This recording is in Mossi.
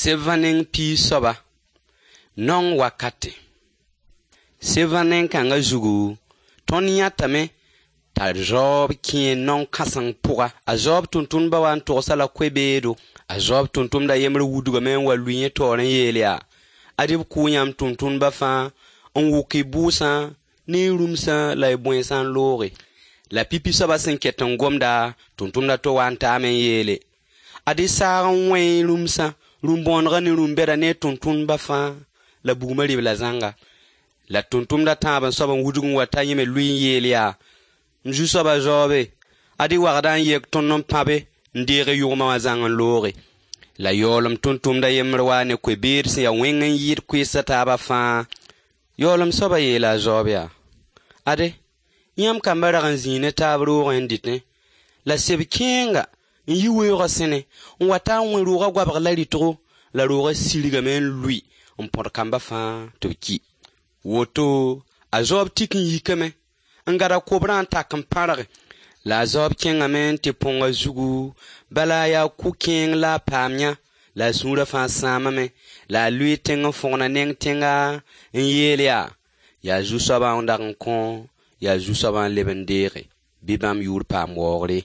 Sebã neng piig soaba, naong wakate. Sebã neng kãngã zugu, tõnd yãtame t'a zaoob kẽe naong kãseng pʋga. A zaoob tʋmtʋmdbã wa n togs-a la koe-beedo. A zaoob tʋmtʋmda yembr wudgame n wa lʋɩ yẽ taoor n yeel yaa: Ad-y b kʋʋ yãmb tʋmtʋmdbã fãa n wʋk y bʋʋsã ne y rũmsã la y bõensã n looge. La pipi soabã sẽn ket n gomda, tʋmtʋmd a to waa n taame n yeele: Ad-y saag n wẽ y rũmsã, rũm-bõonegã ne rũm-bɛda ne y tʋmtʋmdbã fãa, la bugmã rɩ-b-la zãnga. La tʋmtʋmd a tãab soab n wudg n wa ta yẽ me lʋɩ n yeel yaa: M zu-soaba zaoobe, ad-y wagda n yek tõnd n pãbe n deeg y yʋgmã wã zãng n looge. La yaoolem tʋmtʋmd a yembr waa ne koe-beed sẽn ya wẽng n yɩɩd koees a taabã fãa. Yaoolem soabã yeela a zaoob yaa: Ade, yãmb kambã rag n zĩi ne taab roogẽ n dɩtẽ, la seb kẽenga n yi weoogã sẽne n wa ta n wẽ roogã goabg la rɩtgo, la roogã sirgame n lʋɩ n põd kambã fãa tɩ b ki. Woto a zaoob tik n yikame n gad a kobrã n tak n pãrge. La a zaoob kẽngame n tɩ põng a zugu, bala yaa kʋ-kẽeng la a paam yã, la a sũurã fãa sãamame, la a lʋɩɩ tẽng n fõgna neng tẽnga n yeel yaa: Yaa Zu-soabã n dag n kõ, yaa Zu-soabã n leb n deege, bɩ bãmb yʋʋr paam waoogre.